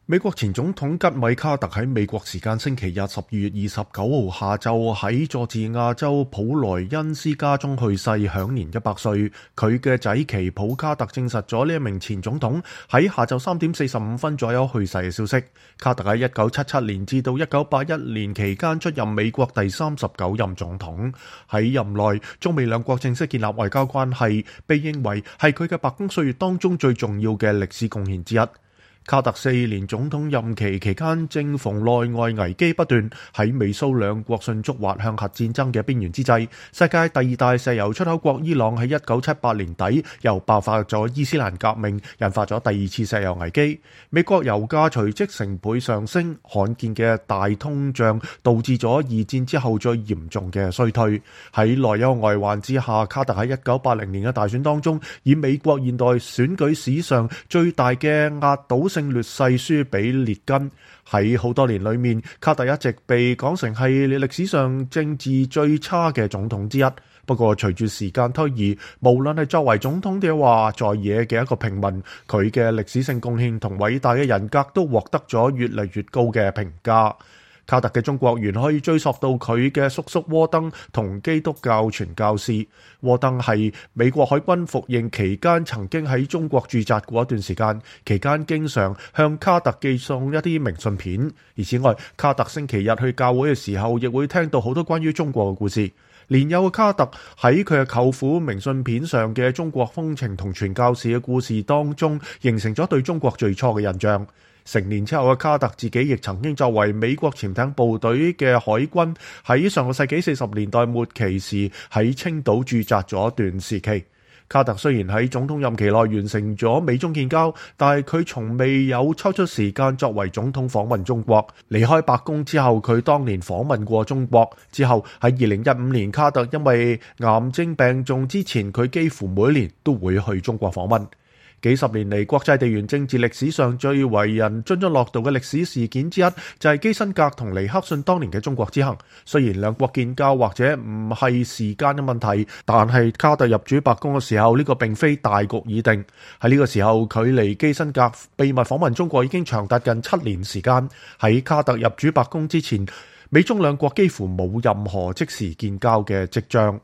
美國前總統吉米卡特喺美國時間星期日12月29號下晝喺佐治亞州普萊恩斯家中去世，享年100歲。佢嘅仔奇普卡特證實咗呢一名前總統喺下晝3點45分左右去世嘅消息。卡特喺1977年至到1981年期間出任美國第39任總統，喺任內中美兩國正式建立外交關係，被認為係佢嘅白宮歲月當中最重要嘅歷史貢獻之一。卡特4年總統任期期間，正逢內外危機不斷，喺美蘇兩國迅速滑向核戰爭嘅邊緣之際，世界第二大石油出口國伊朗喺1978年底又爆發咗伊斯蘭革命，引發咗第二次石油危機。美國油價隨即成倍上升，罕見嘅大通脹導致咗二戰之後最嚴重嘅衰退。喺內憂外患之下，卡特喺1980年嘅大選當中，以美國現代選舉史上最大嘅壓倒性劣勢輸俾列根。喺好多年裏面，卡特一直被講成係歷史上政治最差嘅總統之一。不過隨住時間推移，無論係作為總統嘅話，在野嘅一個平民，佢嘅歷史性貢獻同偉大嘅人格都獲得咗越嚟越高嘅評價。卡特嘅中國緣可以追溯到佢嘅叔叔沃登同基督教傳教士。沃登係美國海軍服役期間曾經喺中國駐紮過一段時間，期間經常向卡特寄送一啲明信片。而此外，卡特星期日去教會嘅時候，亦會聽到好多關於中國嘅故事。年幼嘅卡特喺佢嘅舅父明信片上嘅中國風情同傳教士嘅故事當中，形成咗對中國最初嘅印象。成年之後嘅卡特自己亦曾經作為美國潛艇部隊嘅海軍，喺上個世紀40年代末期時喺青島駐紮咗一段時期。卡特雖然喺總統任期內完成咗美中建交，但係佢從未有抽出時間作為總統訪問中國。離開白宮之後，佢當年訪問過中國。之後喺2015年，卡特因為癌症病重之前，佢幾乎每年都會去中國訪問。幾十年嚟，國際地緣政治歷史上最為人津津樂道嘅歷史事件之一，就係基辛格同尼克遜當年嘅中國之行。雖然兩國建交或者唔係時間嘅問題，但係卡特入主白宮嘅時候，呢個並非大局已定。喺呢個時候，距離基辛格秘密訪問中國已經長達近7年時間。喺卡特入主白宮之前，美中兩國幾乎冇任何即時建交嘅跡象。